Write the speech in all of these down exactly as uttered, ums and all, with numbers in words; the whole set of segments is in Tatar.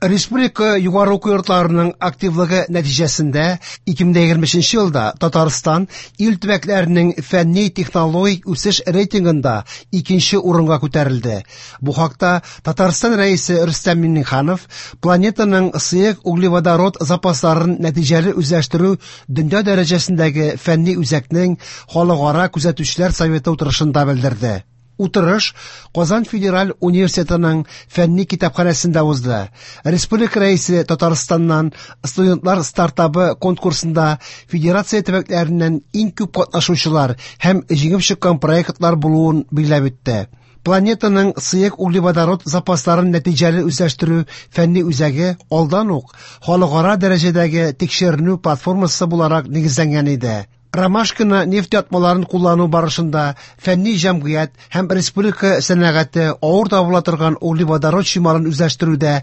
Республика югары уку йортларының активлыгы нәтиҗәсендә ике мең егерме өченче елда Татарстан ил төбәкләренең фәнни-технологик үсеш рейтингында икенче урынга күтәрелде. Бу хакта Татарстан Рәисе Рөстәм Миңнеханов планетаның сыек углеводород запасларын нәтиҗәле үзләштерү дөнья дәрәҗәсендәге фәнни үзәкнең халыкара күзәтүчеләр советы утырышында белдерде. Утырыш Казан федераль университетының фәнни китапханәсендә узды. Республика Рәисе Татарстаннан студентлар стартабы конкурсында федерация төбәкләреннән иң күп катнашучылар һәм җиңеп чыккан проектлар булуын билгеләп үтте. Планетаның сыек углеводород запасларын нәтиҗәле үзләштерү фәнни үзәге алдан ук халыкара дәрәҗәдәге тикшеренү платформасы буларак нигезләнгән иде. Ромашкина нефть ятмаларын куллану барышында фәнни җәмгыять һәм республика сәнәгате авыр табыла торган углеводород чималын үзләштерүдә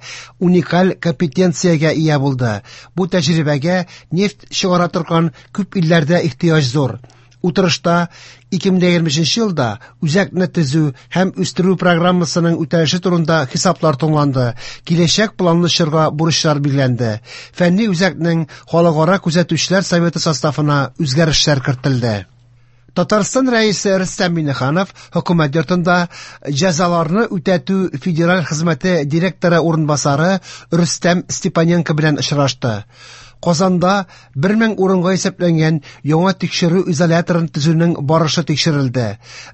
уникаль компетенциягә ия булды. Бу тәҗрибәгә нефть чыгара торган күп илләрдә ихтыяҗ зур. Утырышта ике мең егерме өченче елда үзәкне төзү һәм үстерү программасының үтәлеше турында хисаплар тыңланды. Киләчәк планлы чорга бурычлар билгеләнде. Фәнни үзәкнең халыкара күзәтүчеләр советы составына үзгәрешләр кертелде. Татарстан Рәисе Рөстәм Миңнеханов хөкүмәт йортында җәзаларны үтәтү федераль хезмәте директоры урынбасары Рөстәм Степаненко белән очрашты. Казанда бер мең урынга исәпләнгән яңа тикшерү изоляторын төзүнең барышы тикшерелде.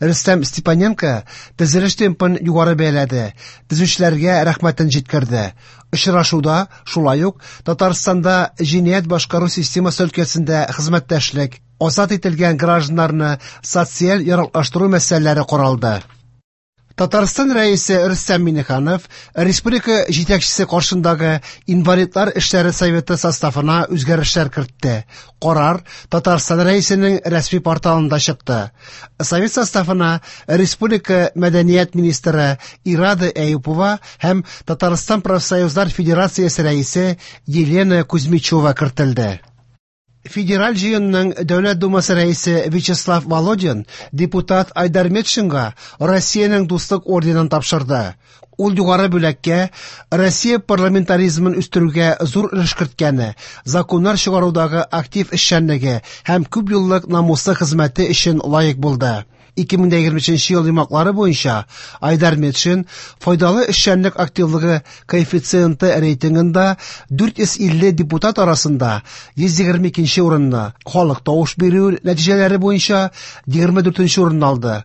Рөстәм Степаненко төзелеш темпын югары бәяләде, төзүчеләргә рәхмәтен җиткерде. Очрашуда шулай ук Татарстанда җинаять башкару системасы өлкәсендә хезмәттәшлек, азат ителгән гражданнарны социаль яраклаштыру мәсьәләләре каралды. Татарстан Рәисе Рөстәм Миңнеханов республика җитәкчесе каршындагы инвалидлар эшләре советы составына үзгәрешләр кертте. Карар Татарстан Рәисенең рәсми порталында чыкты. Совет составына республика мәдәният министры Ирада Әюпова һәм Татарстан профсоюзлар федерациясе рәисе Елена Кузьмичева кертелде. Федераль җыенның Дәүләт Думасы рәисе Вячеслав Володин депутат Айдар Метшинга Россиянең дуслык орденын тапшырды. Ул югары бүләккә Россия парламентаризмын үстерүгә зур өлеш керткәне, законнар чыгарудагы актив эшчәнлеге һәм күп еллык намуслы хезмәте өчен лаек булды. Ике мең егерме өченче ел йомгаклары буенча Айдар Метшин файдалы эшчәнлек активлыгы коэффициенты рейтингында дүрт йөз илле депутат арасында йөз егерме икенче урынны, халык тавыш бирү нәтиҗәләре буенча егерме дүртенче урынны алды.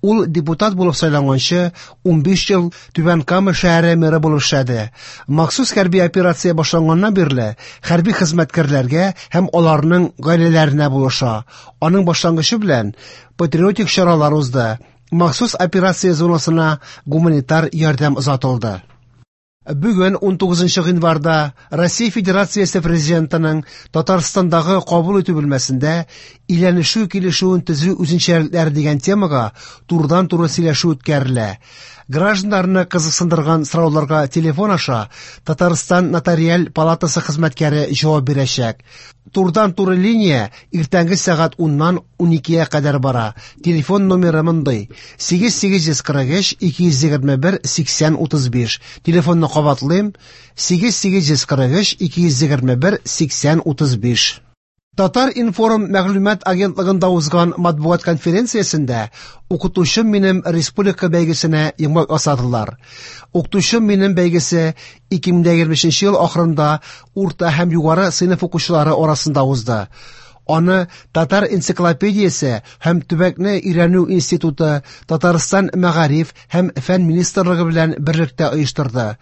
Ул депутат булып сайланганчы унбиш ел Түбән Кама шәһәре мэры булып эшләде. Махсус хәрби операция башланганнан бирле хәрби хезмәткәрләргә һәм аларның гаиләләренә булыша. Аның башлангычы белән патриотик чаралар узды. Махсус операция зонасына гуманитар ярдәм озатылды. Бүген ун тугызынчы гыйнварда Россия Федерациясе Президентының Татарстандагы кабул итү бүлмәсендә өйләнешү килешүен төзү үзенчәлекләре дигән темага турыдан-туры сөйләшү үткәрелә. Гражданнарны кызыксындырган сорауларга телефон аша Татарстан нотариаль палатасы хезмәткәре җавап бирәчәк. Турыдан-туры линия иртәнге сәгать уннан уникегә кадәр бара. Телефон номеры мондый: сигез сигез йөз кырык өч ике йөз егерме бер сиксән утыз биш. Телефонны кабатлыйм: сигез сигез йөз кырык өч ике йөз егерме бер сиксән утыз биш. Татар-информ мәгълүмат агентлыгында узган матбугат конференциясендә Укытучым минем республика бәйгесенә йомгак ясадылар. Укытучым минем бәйгесе ике мең егерме өченче ел ахырында урта һәм югары сыйныф укучылары арасында узды. Аны Татар энциклопедиясе һәм төбәкне өйрәнү институты Татарстан мәгариф һәм фән министрлыгы белән берлектә оештырды.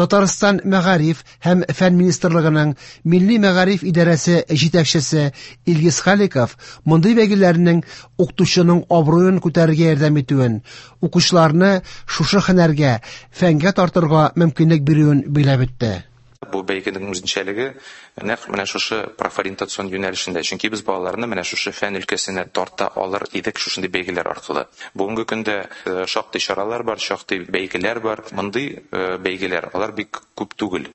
Татарстан мәгариф һәм фән министрлыгының Милли мәгариф идарәсе җитәкчесе Илгиз Халиков мондый бәйгеләрнең укытучының абруен күтәрергә ярдәм итүен, укучыларны шушы һөнәргә, фәнгә тартырга мөмкинлек бирүен билгеләп үтте. Бу бәйгенең үзенчәлеге нәкъ менә шушы профориентацион юнәлешендә, чөнки без балаларны менә шушы фән өлкәсенә тарта алыр идек шушындый бәйгеләр аркылы. Бүгенге көндә, э, шактый чаралар бар, шактый бәйгеләр бар. Мондый, э, бәйгеләр алар бик күп түгел.